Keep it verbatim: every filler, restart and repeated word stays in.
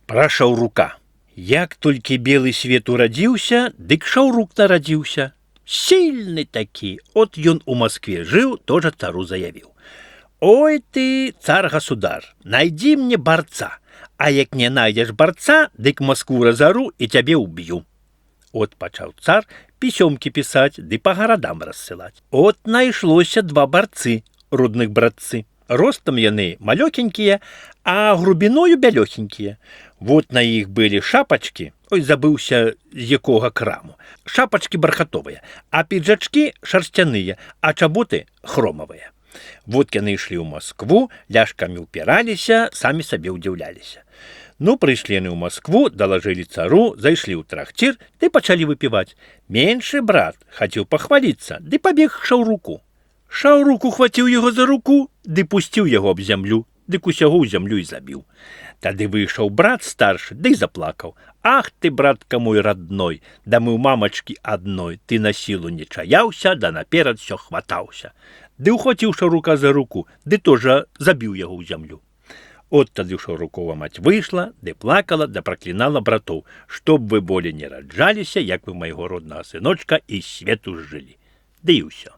Пра Шаўрука. Як толькі белы свет урадзіўся, дык Шаўрук нарадзіўся. Сильны такі. От ён у Москве жыў, тоже цару заявіў. Ой ты, цар-государ, найди мне борца, а як не найдешь борца, дык Москву разору и тебе убью. От пачаў цар пісёмкі пісаць ды па гарадам рассылаць. От найшлося два барцы, родных братцы. Ростам яны малёкенькія, а грубіною бялёхенькія. Вот на іх былі шапачкі, ой, забыўся з якога краму. Шапачкі бархатовыя, а піджачкі шарсцяныя, а чаботы хромавыя. Вот яны ішлі ў Москву, ляшкамі ўпіраліся, самі сабе ўдзіўляліся. Ну, прыйшлі яны ў Москву, далажылі цару, зайшлі ў трахцір, ды пачалі выпіваць. Меншы брат хацеў пахваліцца, ды пабег к Шаўруку. Шаўрук ухваціў яго за руку, ды пусціў яго аб зямлю, дык усяго ў зямлю і забіў. Тады выйшаў брат старшы, ды заплакаў. Ах ты, братка мой родной, да мы ў мамачкі адной, ты на сілу не чаяўся, да наперад всё хватаўся. Ды ухваціў Шаўрука за руку, ды тоже забіў яго ў зямлю. От тады Шаўрукова мать выйшла, ды плакала, да праклінала братоў, чтоб вы болей не раджаліся, як вы майго роднага сыночка і свету жылі. Ды і ўсё.